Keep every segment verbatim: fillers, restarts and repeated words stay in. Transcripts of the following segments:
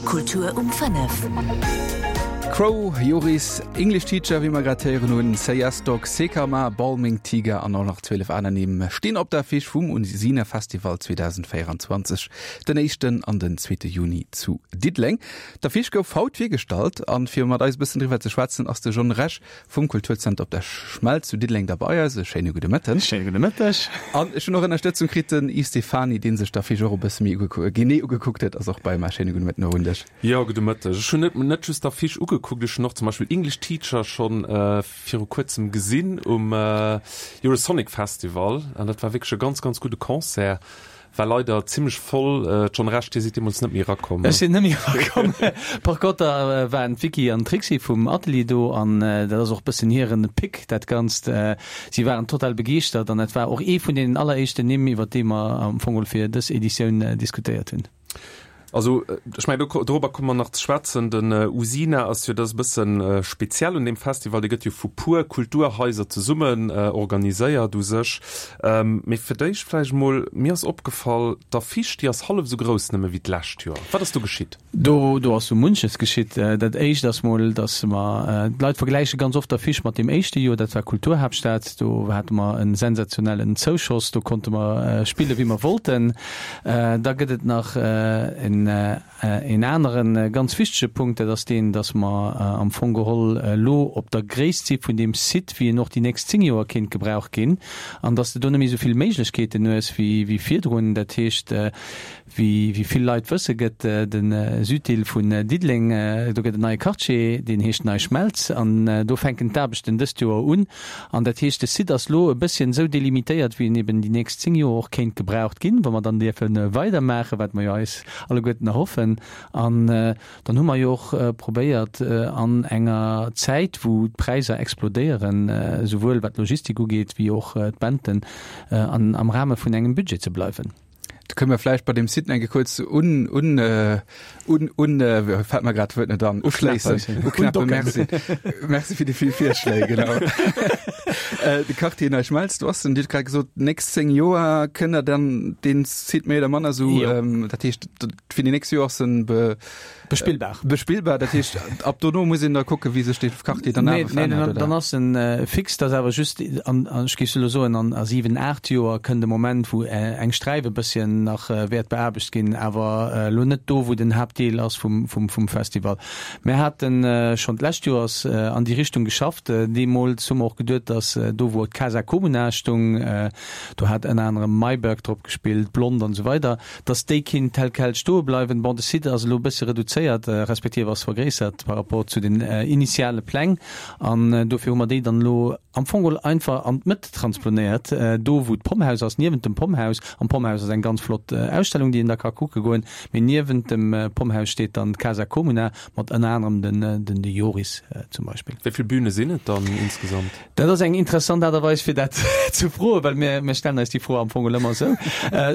Kultur um fënnef. Cro, Joris, English Teacher, wéi mer grad héieren hunn, Say Yes Dog, Sekama, Balming Tiger an och nach zwielef aner Nimm stinn op der Affiche vum Usina Festival zweedausendvéierundzwanzeg den éischten an den zweete Juni zu Diddeleng. D'Affiche gouf haut virgestallt an fir mat eis e bëssen driwwer ze schwätzen ass de John Rech vum Kulturzenter op der Schmelz zu Diddeleng da bei eis. E schéine gudde Mëtten. Schéine gudde Mëtteg. An ech hunn och Ënnerstëtzung kritt, den Yves Stephany, dee sech d'Affiche och e bësse méi genee ugekuckt huet, ass och bei mer. Schéine gudde Mëtten och un dech. Jo, gudde Mëtteg. Ech hunn net net just d'Affiche ugekuckt, ech hunn och zum Beispill English Teacher schonn viru kuerzem gesinn um Eurosonic Festival an dat war wierklech e ganz, ganz gudde Concert. War leider zimlech voll. John Rech, Dir sidd deemools net méi erakomm. Ech sinn net méi erakomm. Par conter waren d'Vicky an d'Trixi vum Atelier do an dat ass och bëssen hiren Pick, dat Ganzt. Si waren total begeeschtert an dat war och ee vun deenen alleréischten Nimm, iwwer déi mer am Fong geholl fir dës Editioun diskutéiert hunn. Also, ech mengen, do, dorobber komme mer nach ze schwätzen. Den Usina ass jo, dat ass e bësse speziell un deem Festival, dee gëtt jo vu puer Kulturhaiser zesummen organiséiert u sech. Mee fir d'éischt vläicht emol, mir ass opgefall, d'Affiche, déi ass hallef esou grouss nëmme wéi d'lescht Joer. Wat ass do geschitt? Do, do ass sou munches geschitt. Dat Éischt ass mol, datt mer, d'Leit vergläiche ganz oft d'Affiche mat deem éischte Joer, dat war Kulturhaaptstad, do hate mer e sensationellen Zouschoss, do konnte mer spille wéi mer wollten. Da gëtt et nach en een anere ganz wichtege Punkt, dat ass deen, datt mer am Fong geholl elo op der Gréisst si vun deem Site, wéi en och déi nächst zéng Joer kéint gebraucht ginn, an datt s de do net méi esou vill Méiglechkeeten hues wéi virdrun. Dat heescht, wéi vill Leit wësse gëtt de Süddeel vun Diddeleng, do gëtt en neie Quartier, deen heescht Nei Schmelz, an do fänken d'Aarbechten dëst Joer un. An dat heescht, de Site ass elo e bësschen esou delimitéiert, wéi en eben déi nächst zéng Joer och kéint gebraucht ginn, wa mer dann dierfe weidermaachen, wat mer jo eis alleguerten erhoffen. An dann hu mer jo och probéiert, an enger Zäit, wou d'Präisser explodéieren, esouwuel wat d'Logistik ugeet wéi och d'Benten, an am Rahme vun engem Budget ze bleiwen. Do kënne mer vläicht bei deem Site eng Kéier kuerz un, un, un, un, fält mer grad d'Wuert net an, uschléissen, uknäppen. Merci. Merci fir déi vill Virschléi, genau. De Quartier NeiSchmelz, do ass en, Dir hutt grad gesot, d'nächst zéng Joer kënnt Der dann dee Site méi oder manner esou, dat heescht, fir déi nächst Joer ass en be, Bespillbar. Bespillbar, dat heescht, ab dono muss een da kucken, wéi sech dee Quartier dann awer verännert, oder? Dann ass en fix, dat ass awer just, an ech géif elo soen, an a siwen, aacht Joer kënnt e Moment, wou eng Sträif e bësschen nach wäert beaarbecht ginn, awer elo net do, wou den Haaptdeel ass vum, vum, vum Festival. Mir hate schonn d'lescht Joers an déi Richtung geschafft. Deemools hu mer och geduet, datt do, wou d'Casa Comuna stung, do hat ënner anerem Mayberg drop gespillt, Blond an esou weider, dass déi kinnt tel quel stoe bleiwen. Bon, de Site ass elo e bësse reduzéiert, respektiv ass vergréissert par rapport zu den initiale Pläng an dofir hu mer déi dann elo am Fong geholl einfach an d'Mëtt transplonéiert, do wou d'Pomhaus ass, niewent dem Pomhaus. Am Pomhaus ass eng ganz flott Ausstellung, déi een da ka kucke goen, mee niewent dem Pomhaus steet dann d'Casa Comuna mat ënner anerem den den de Joris zum Beispill. Wéi vill Büne sinn et dann insgesamt? Dat ass eng interessant Aart a Weis fir dat ze froen, well mir mir stellen eis déi Fro am Fong geholl ëmmer esou.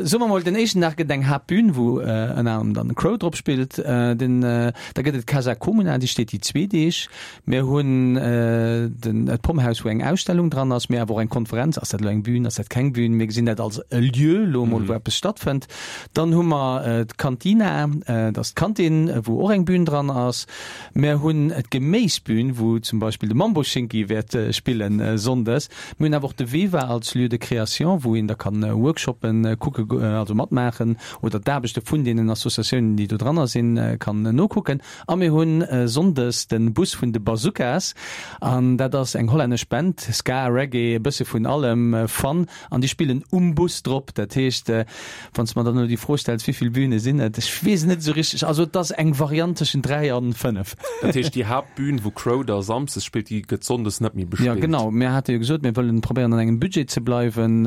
Soe mer mol, den éischten Dag gëtt et eng Haaptbün, wou ënner anerem dann Crow drop spillt. Den, da gëtt et d'Casa Comuna, déi steet déi zwee Deeg. Mir hunn den d'Pomhaus, wou eng Ausstellung dran ass, mee awer och eng Konferenz. Ass dat elo eng Bühn, ass dat keng Bühn? Mir gesinn dat als e Lieu elo emol, wou eppes stattfënnt. Dann hu mer d'Cantina, dat ass d'Kantin, wou och eng Bühn dran ass. Mir hunn d'Geméisbühn, wou zum Beispill de Mambo Schinki wäert spillen sonndes. Mir hunn awer och de Veva als Lieu de création, wou een da kann Workshoppen kucke, also matmaachen oder d'Aarbechte vun deenen Associatiounen, déi do dranner sinn, kann nokucken. A mir hunn sonndes de Bus vun de Bazookas an dat ass eng hollännesch Band, Ska, Reggae, e bësse vun allem, Fun an déi spillen um Bus drop. Dat heescht, wann s de mer dann elo déi Fro stells, wéi vill Bühne sinn et, ech weess et net esou richteg. Also et ass eng Variant tëschent dräi an fënnef. Dat heescht, déi Haaptbün, wou Crow da samsdes spillt, déi gëtt sonndes net méi bespillt? Jo, genau. Mir hate jo gesot, mir wëllen probéieren an engem Budget ze bleiwen.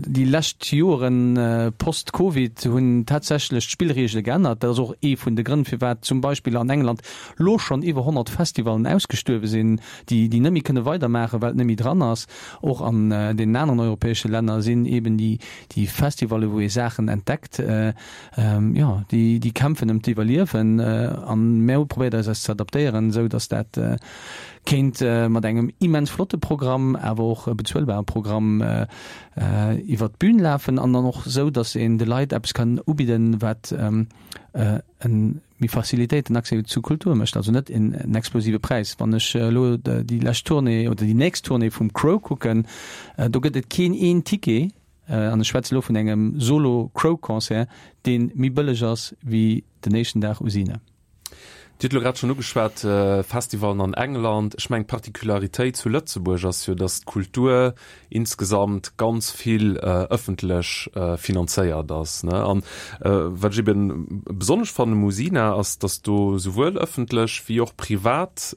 Déi lescht Joren post-Covid hunn tatsächlech d'Spillreegele geännert. Dat ass och ee vun de Grënn, firwat zum Beispill an England lo schonn iwwer honnert Festivallen ausgestuerwe sinn, déi déi net méi kënne weidermaachen, well et net méi dran ass. Och an deenen aneren europäesche Länner sinn eben déi déi Festivalle wou ee Saachen entdeckt, jo, déi déi kämpfen ëm d'Iwwerliewen. An mär hu probéiert eis eis ze adaptéieren, esou datt dat kéint mat engem immens flotte Programm, awer och e bezuelbare Programm iwwert d'Bün lafen an dann och esou, datt een de Leit eppes kann ubidden, wat e méi facilitéierten Accès zu Kultur mécht, also net en explosive Präis. Wann ech elo déi lescht Tournée oder déi nächst Tournée vum Cro kucken, do gëtt et keen een Ticket, an ech schwätze elo vun engem Solo-Cro-Concert, dee méi bëlleg ass wéi den éischten Dag Usine. Dir hutt elo grad schonn ugeschwat, Festivalen an England. Ech mengen, d'Particularitéit zu Lëtzebuerg ass jo, datt d'Kultur insgesamt ganz vill ëffentlech finanzéiert ass. An wat ech eben besonnesch fannen um Usina, ass, datt do souwuel ëffentlech wéi och privat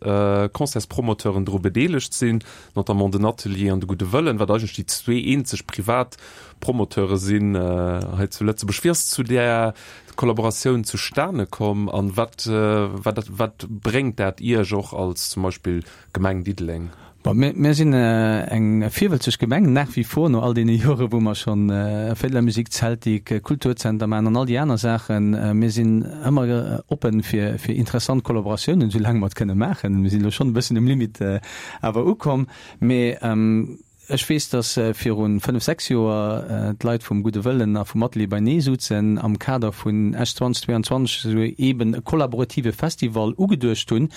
Concertspromoteuren dru bedeelegt sinn, notamment den Atelier an de Gudde Wëllen, wat eigentlech déi zwee eenzeg privat Promoteure sinn hei zu Lëtzebuerg. Wéi ass zu där Kollaboratioun zustane komm an wat, wat, wat bréngt dat Iech och als zum Beispill Gemeng Diddeleng? Bon, mir, mir sinn eng virwëlzeg Gemeng, nach wie vor, no all deene Jore wou mer schonn Féideler Musik, Zeltik, Kulturzenter maachen an all déi aner Saachen. Mir sinn ëmmer oppen fir, fir interessant Kollaboratiounen, soulaang mer et kënne maachen. Mir sinn elo schonn e bëssen um Limit awer ukomm. Mee Ech weess, datt viru fënnef, sechs Joer d'Leit vum Gudde Wëllen a vum Atelier beinee souzen am Kader vun Esch zweitausendzweiundzwanzeg esou eeben e kollaborative Festival ugeduecht hunn.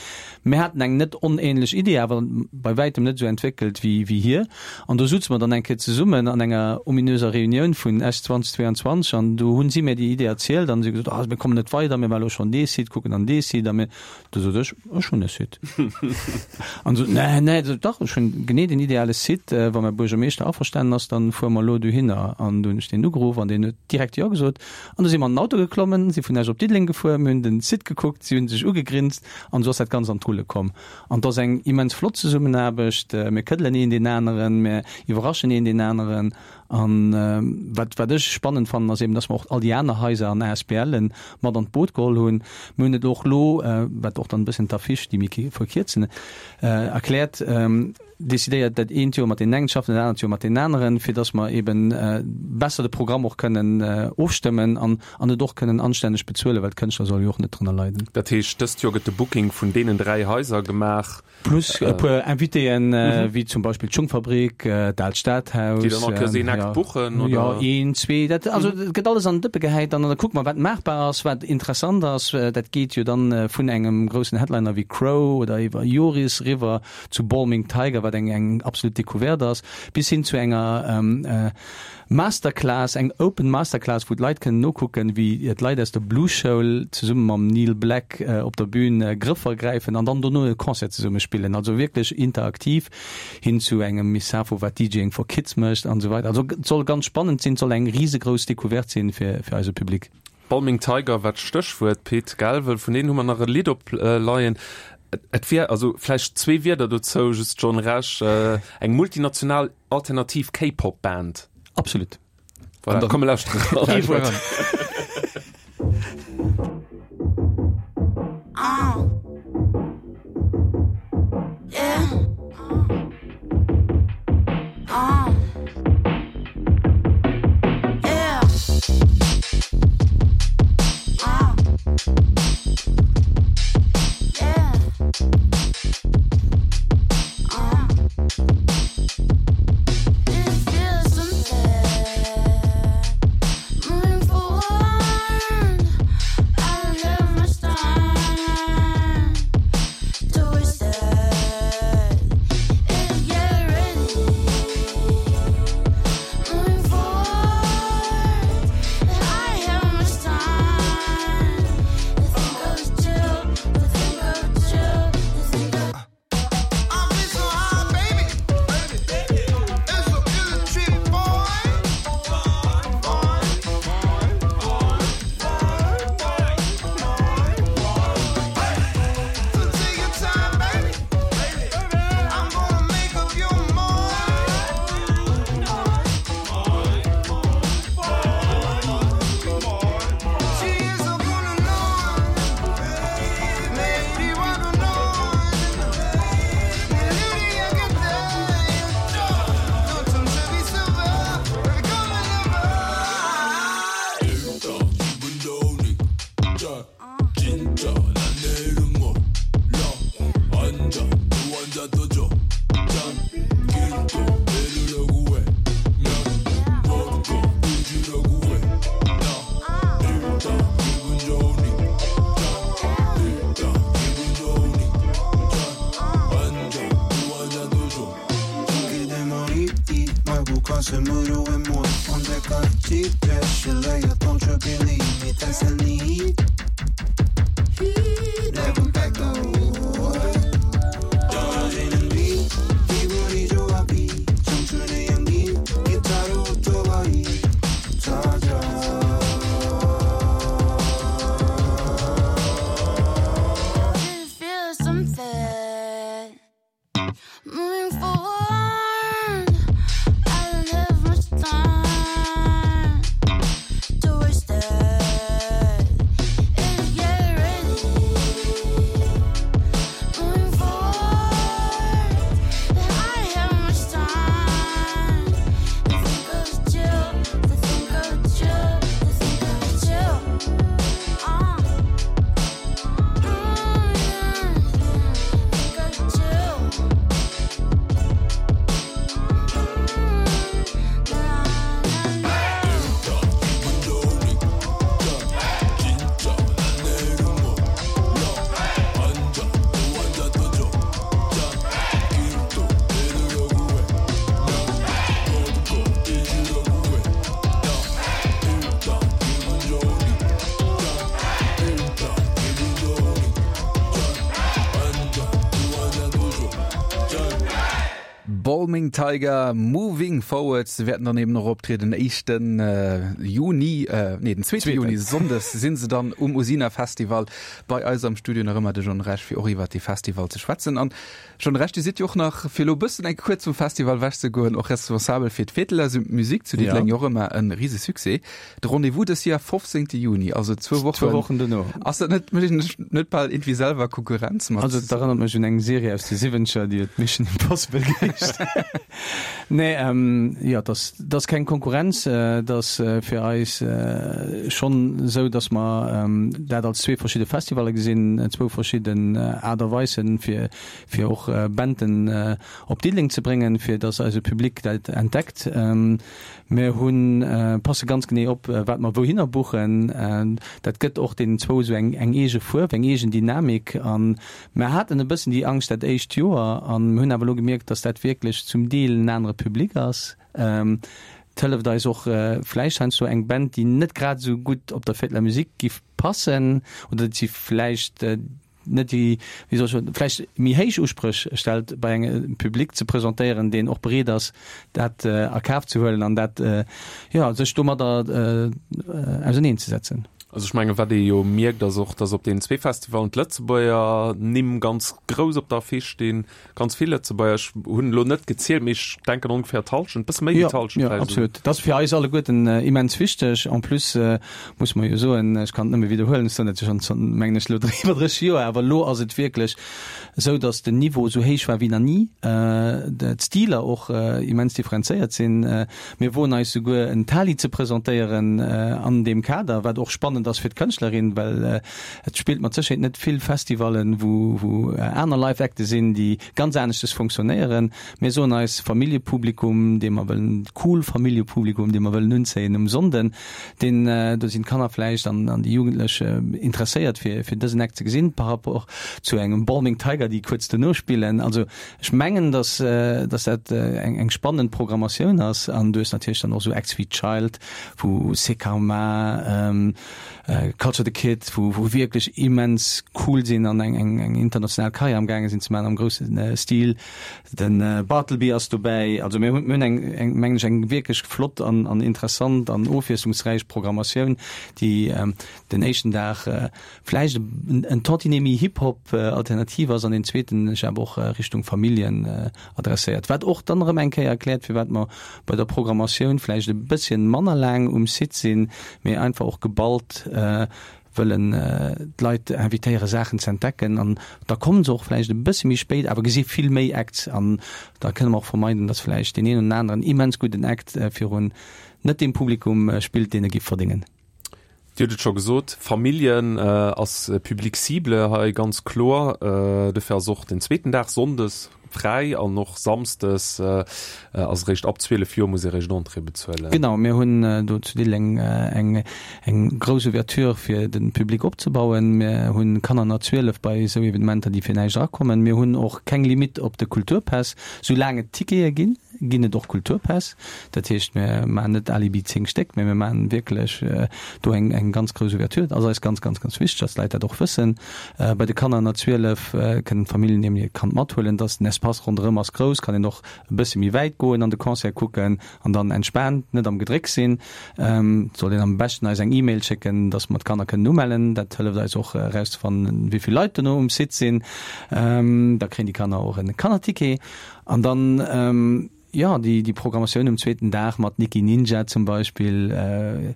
Mir haten eng net onähnlech Idee, awer bei wäitem net esou entwéckelt wéi hir. An do souze mer dann eng Kéier zesummen an enger ominöser Reunioun vun Esch zweitausendzweiundzwanzeg an do hunn si mir déi Idee erzielt an si hu gesot, Ah, mir kommen net weider, mir waren elo schonn dee Site kucken an dee Site a mir Du sot ech, ech hunn e Site. An sot, nee, nee, sot, dach, ech hunn genee den ideale Site, wa mäi Buergermeeschter averstanen ass, dann fuere mer elo dohinner. An du hunn ech deen ugeruff an deen huet direkt Jo gesot. An du si mer an den Auto geklommen, si vun Esch op Diddeleng gefuer, mir hunn den Site gekuckt, si hunn sech ugegrinst an esou ass dat Ganzt an d'Rulle komm. An et ass eng immens flott Zesummenaarbecht, mir këddelen een deen aneren, mir iwwerraschen een deen aneren. An wat, wat ech spannend fannen, ass eben, dass mer och all déi aner Haiser an ASBLen mat an d'Boot geholl hunn. Mir hunn et och elo, wat och dann e bëssen d'Affiche, déi mir verkierzen, erkläert, decidéiert, dat eent Joer mat deenen engen ze schaffen, dat anert Joer mat deenen aneren, fir dass mer eben besser de Programm och kënnen ofstëmmen an, an et och kënnen anstänneg bezuelen, well d'Kënschtler solle jo och net drënner leiden. Dat heescht, dëst Joer gëtt de Booking vun deenen dräi Haiser gemaach? Plus e puer Invitéen, wéi zum Beispill d'Schungfabrik, d'Aalt Stadhaus. Déi dann all Kéiers een Akt buchen, oder? Jo, een, zwee, dat, also et gëtt alles an den Dëppe gehäit an da kucke mer, wat maachbar ass, wat interessant ass. Dat geet jo dann vun engem groussen Headliner wéi Cro oder iwwer Joris eriwwer zu Balming Tiger, wat eng, eng absolut Decouverte ass, bis hin zu enger Masterclass, eng Open Masterclass, wou d'Leit kënnen nokucken, wéi d'Leit aus der Blues-Schoul zesumme mam Neil Black op der Bühn Grëffer gräifen an dann dono e Concert zesumme spillen. Also wierklech interaktiv, hin zu engem Misafo, wat DJing for Kids mécht an esou weider. Also et soll ganz spannend sinn, et soll eng risegrouss Decouverte sinn fir eise Public. Balming Tiger war d'Stéchwuert, Pit Galvel. Vun deenen hu mer nach e Lidd opleien. Et wier also vläicht zwee Wierder dozou, just John Rech, eng multinational alternativ K-Pop-Band. Absolut. Voilà, komm mir lauschteren eran. Ee Wuert. Balming Tiger, Moving Forward. Se wäerten dann eben och optrieden den éischten Juni, nee den zweete Juni, Sonndes sinn se dann um Usina Festival. Bei eis am Studio nach ëmmer de John Rech fir och iwwert dee Festival ze schwätzen. An John Rech, Dir sidd jo och nach, fir elo e bëssen eng kuerz vum Festival ewech ze goen, och responsabel fir d'Fételer Musique zu Diddeleng, jo och ëmmer e rise Succès. De Rendez-vous dës Joer fofzéngte Juni, also zwou Wochen. Zwou Wochen dono. Ass dat net, mécht een sech net bal iergendwéi selwer Konkurrenz mat? Also et erënnert mech un eng Serie aus de Siwwenzeger, déi huet Mission Impossible geheescht. Nee, jo, et ass, et ass keng Konkurrenz. Et ass fir eis schonn esou, datt mer dat als zwee verschidde Festivalle gesinn, zwou verschidden Aart a Weisen, fir, fir och Banden op Diddeleng ze bréngen, fir datt eise Public dat entdeckt. Mir hunn, passe ganz genee op, wat mer wouhinner buchen. Dat gëtt och deenen zwou esou eng, eng eege Fuerf, eng eegen Dynamik. A mer haten e bëssen déi Angscht dat éischt Joer a mir hunn awer elo gemierkt, datt dat wierklech zum Deel en anere Public ass. Et hëlleft eis och vläicht heiansdo eng Band, déi net grad esou gutt op der Fête de la Musique giff passen oder déi vläicht net déi, wéi soll ech soen, vläicht méi héich Uspréch stellt, bei engem Public ze presentéieren, deen och bereet ass, dat a Kaf ze huelen an dat, jo, sech domadder auserneenzesetzen. Also ech mengen, wat ee jo mierkt, ass och, datt op deenen zwee Festivalen d'Lëtzebuerger Nimm ganz grouss op der Affiche stinn, ganz vill Lëtzebuerger. Ech hunn elo net gezielt, mee ech denken ongeféier d'Hallschent, e bësse méi wéi d'Hallschent Jo, vläicht esouguer. absolut. Dat ass fir eis alleguerten immens wichteg. En plus muss mer jo soen, ech kann et nëmme widderhuelen, ech soen dat jo schonn zanter, mengen ech, elo iwwer dréisseg Joer, awer elo ass et wierklech esou, datt den Niveau esou héich war wéi nach ni, d'Stiler och immens differenzéiert sinn. Mir woen eis souguer en Tali ze presentéieren an deem Kader, wat och spannend ass fir d'Kënschtlerin, well et spillt mat Sécherheet net vill Festivallen, wou wou aner Live-Acte sinn, déi ganz aneschtes fonctionnéieren. Mir soen eis Familljepublikum, dee mer wëllen, cool Familljepublikum, dee mer wëllen unzéien um Sonnden, deen, do sinn d'Kanner vläicht an an déi Jugendlech interesséiert fir fir dësen Act ze gesinn par rapport zu engem Balming Tiger, déi kuerz dono spillen. Also ech mengen, dass dass dat eng eng spannend Programmatioun ass an du hues natierlech dann och esou Acts wéi Child, wou Sekarma, Culture the Kid, wou wou wierklech immens cool sinn an eng eng eng international Karriär am gaange sinn ze maachen am grousse Stil. De Bartleby ass dobäi. Also mir hunn mir hunn eng eng mengen ech eng wierklech flott an an interessant an ofwiesslungsräich Programmatioun, déi den éischten Dag vläicht en tantinet méi Hip-Hop alternativ ass an deen zweeten sech awer och Richtung Familljen adresséiert. Wat och dann erëm eng Kéier erkläert, firwat mer bei der Programmatioun vläicht e bësschen manner laang um Site sinn, mee einfach och geballt wëllen d'Leit invitéiere Saachen ze entdecken. An da kommen se och vläicht e bësse méi spéit, awer gesi vill méi Acts an da kënne mer och vermeiden, datt vläicht deen een oder aneren immens gudden Act virun net deem Publikum spillt, deen e giff verdéngen. Dir hutt et scho gesot, Familljen ass Public cible hei ganz kloer. Dofir ass och den zweeten Dag, sonndes, fräi an och samsdes ass eréischt ab zwielef Joer muss ee réischt Entrée bezuelen. Genau, mir hunn do zu Diddeleng eng eng grouss Ouverture fir de Public opzebauen. Mir hunn Kanner ënner zwielef bei esou Evenementer, déi fir näischt erakommen. Mir hunn och keng Limitt op de Kulturpass. Soulaang et Tickete ginn, ginn et och Kulturpäss. Dat heescht, mir maachen net alibi zéng Stéck, mä mir maachen wierklech do eng eng ganz grouss Ouverture. Dat ass eis ganz, ganz, ganz wichteg, dass d'Leit dat och wëssen. Bei de Kanner ënner zwielef kënnen d'Familljen eben hiert Kand mathuelen. Dass den Espace ronderëm ass grouss, kann een och e bësse méi wäit goen an de Concert kucken an dann entspaant, net am Gedrécks sinn. Et soll een am beschten eis eng E-Mail schécken, dass mer d'Kanner kënnen umellen. Dat hëlleft eis och erauszefannen, wéi vill Leit dono um Site sinn. Da kréien déi Kanner och e Kannerticket. An dann, jo, déi déi Programmatioun um zweeten Dag mat Nikki Ninja zum Beispill,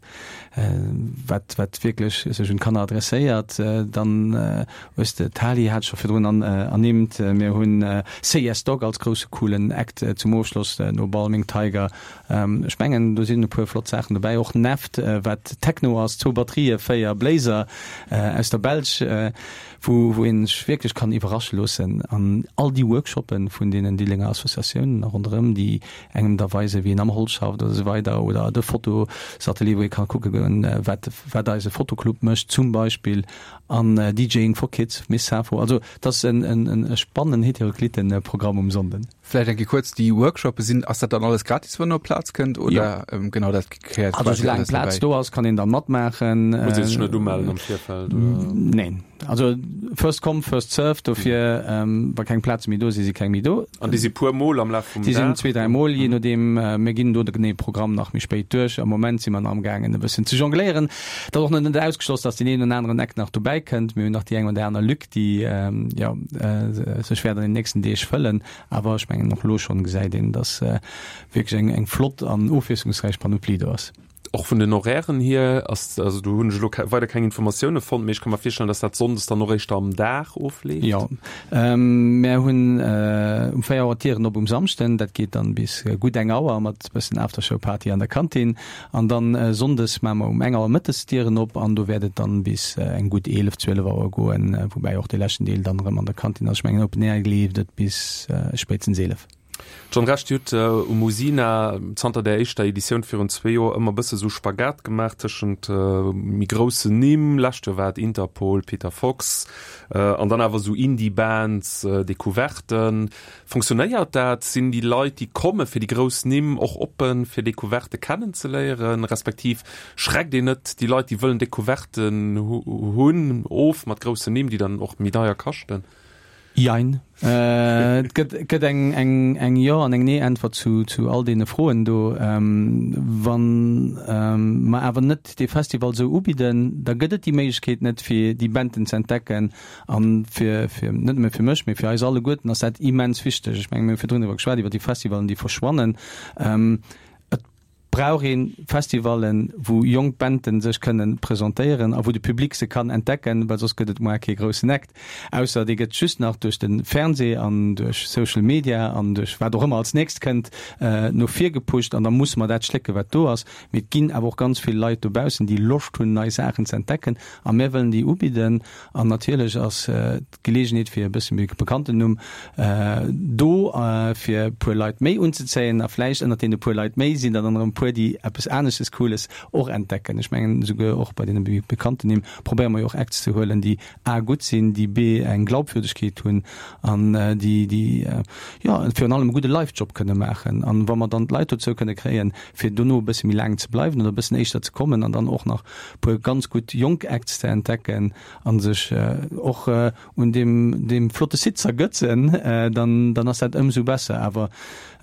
wat wat wierklech sech un d'Kanner adresséiert. Dann hues de d'Tali hat ech scho virdrun ernimmt. Mir hunn Say Yes Dog als grousse coolen Act zum Ofschloss no Balming Tiger. Ech mengen, do sinn e puer flott Saachen dobäi. Och Neft, wat Techno ass, zwou Batterië, véier Bléiser aus der Belsch. wou wou een sech wierklech kann iwwerrasche loossen an all déi Workshoppe vun deenen Diddelenger Associatiounen ronderëm, déi engem da weisen, wéi een am Holz schafft oder esou weider oder de Fotosatelier, wou ee ka kucke goen, wat wat eise Fotoclub mécht zum Beispill an DJing for Kids, Miss Safo. Also et ass en en e spannenden, heterocliten Programm um Sonnden. Vläicht eng Kéier kuerz, déi Workshoppe sinn, ass dat dann alles gratis, wann een op d'Plaz kënnt oder? Jo. Genau, dat gehéiert Also quasi soulaang alles Plaz dobäi. do ass, kann een da matmaachen. Muss ee sech net umellen am Virfeld oder? Neen. Also first come, first served. Dofir, wa keng Plaze méi do sinn, si keng méi do. An déi si puer Mol am Laf vum Déi sinn Dag? zwee, dräi Mol, jee nodeem. Mir ginn do de geneeë Programm nach méi spéit duerch. Am Moment si mer nach amgaangen e bëssen ze jongléieren. Et ass och nach net ausgeschloss, datt deen een oder aneren Eck nach dobäi kënnt. Mir hunn nach déi eng oder aner Lück, déi, jo, sech wäert an den nächsten Deeg fëllen. Awer ech mengen, och elo schonn gesäit een, datt wierklech eng eng flott an ofwiesslungsräich Panoplie do ass. Och vun den Horairen hier ass, also do hunn ech elo weider keng Informatioune fonnt, mee ech ka mer virstellen, datt dat sonndes dann och éischter am Dag ofleeft. Jo, mär hunn um véier Auer d'Dieren op um Samschden, dat geet dann bis gutt eng Auer mat bëssen Aftershow-Party an der Kantin. An dann sonndes maache mer um eng Auer mëttes d'Dieren op an do wäert et dann bis eng gutt eelef, zwielef Auer goen, woubäi och dee leschten Deel dann erëm an der Kantin ass. Ech mengen Open Air leeft et bis spéitstens eelef. John Rech, Dir hutt um Usina zanter där éischter Editioun virun zwee Joer ëmmer bësse sou Spagat gemaach tëschent méi groussen Nimm, lescht Joer war et Interpol, Peter Fox, an dann awer sou Indie-Bands, Decouverten. Fonctionnéiert dat? Sinn déi Leit, déi komme fir déi grouss Nimm, och oppen, fir Decouverte kennenzeléieren? Respektiv schreckt een net déi Leit, déi wëllen Decouverten hunn, of mat groussen Nimm, déi dann och méi deier kaschten? Jein. Et gëtt, gëtt eng, eng, eng Jo an eng Nee-Äntwert zu, zu all deene Froen do. Wa mer awer net dee Festival esou ubidden, da gëtt et déi Méiglechkeet net, fir déi Banden ze entdecken. A fir, fir, net nëmme fir mech, mee fir eis alleguerten ass dat immens wichteg. Ech mengen, mir hu virdrun driwwer geschwat, iwwer déi Festivalen, déi verschwannen. Et brauch ee Festivallen, wou jonk Banden sech kënnen presentéieren a wou de Public se kann entdecken, well soss gëtt et moar kee groussen Act, ausser dee gëtt just nach duerch de Fernseh an duerch Social Media an duerch wat och ëmmer als nächst kënnt no vir gepusht an da musse mer dat schlécke wat do ass. Mee et ginn awer och ganz vill Leit dobaussen, déi Loscht hunn nei Saachen ze entdecken a mir wëllen déi ubidden an natierlech ass d'Geleegenheet fir e bësse méi bekannten Numm do fir e puer Leit méi unzezéien a vläicht ënnert deene puer Leit méi sinn der dann erëm e puer, déi eppes aneschtes Cooles och entdecken. Ech mengen, esouguer och bei deene méi bekannten Nimm probéiere mer jo och Acts ze huelen, déi a gutt sinn, déi b eng Glaubwürdegkeet hunn an déi, déi jo virun allem e gudde Live-Job kënne maachen. An wa mer dann d'Leit dozou kënne kréien, fir dono e bësse méi laang ze bleiwen oder e bëssen éischter ze kommen an dann och nach e puer ganz gutt jonk Acts ze entdecken a sech och un deem, deem flotte Site z'ergötzen, dann, dann ass dat ëmsou besser. Awer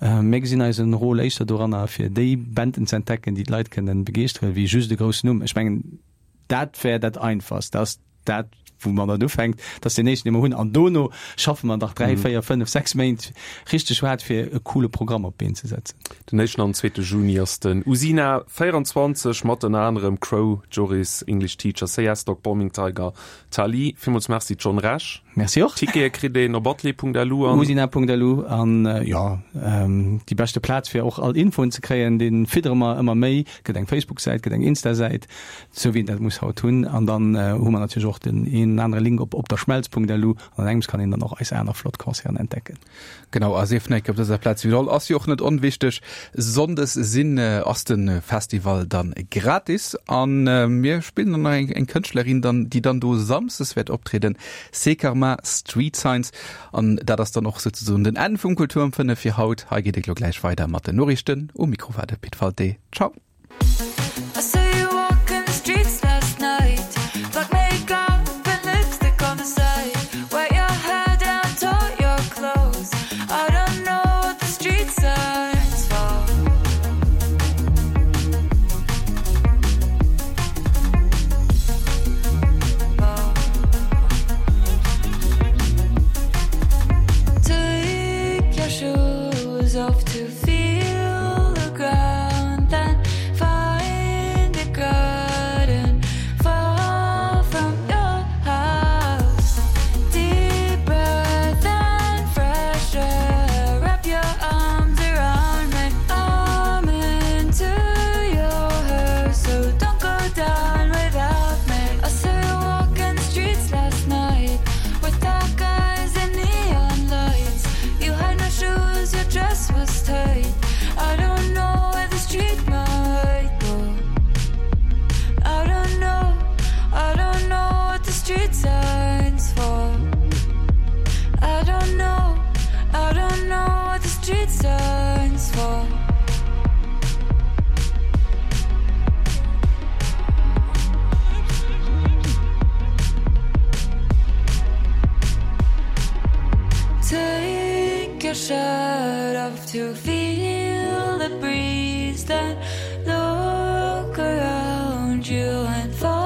mir gesinn eisen Rôle éischter doranner, fir déi Banden ze entdecken, déi d'Leit kënnen begeeschteren, wéi just e groussen Numm. Ech mengen, dat wär dat Einfachst, dass dat wou man dann ufänkt, dat ass deen éischten, dee mer hunn. An dono schaffe mer nach dräi, véier, fënnef, sechs Méint richteg haart, fir e coole Programm op d'Been ze setzen. Den éischten an zweete Juni ass den Usina véierundzwanzeg mat ënner anerem Cro, Joris, English Teacher, Say Yes Dog, Bombing Tiger, Tali. Villmools Merci John Rech. Merci och. Tickete kritt een op atelier.lu an. Usina.lu an jo, déi beschte Plaz fir och all Infoen ze kréien, dee fiddere mer ëmmer méi. Gëtt eng Facebook-Säit, gëtt eng Insta-Säit, sou wéi een dat muss haut hunn. An dann hu mer natierlech och den een anere Link op opderschmelz.lu an an engems kann een dann och eis aner flott Concerten entdecken. Genau, a sief nach op dëser Plaz widderholl, ass jo och net onwichteg, Sonndes sinn ass de Festival dann gratis an mir spillen dann nach eng eng Kënschtlerin dann, déi dann do Samsdes wäert optrieden, Sekarma Street Signs an dat ass dann och souzesoen den Enn vum Kultur um fënnef fir haut. Hei geet et elo gläich weider mat den Noriichten. Um Mikro war de Pit Walté. Ciao. Breeze, then look around you and fall.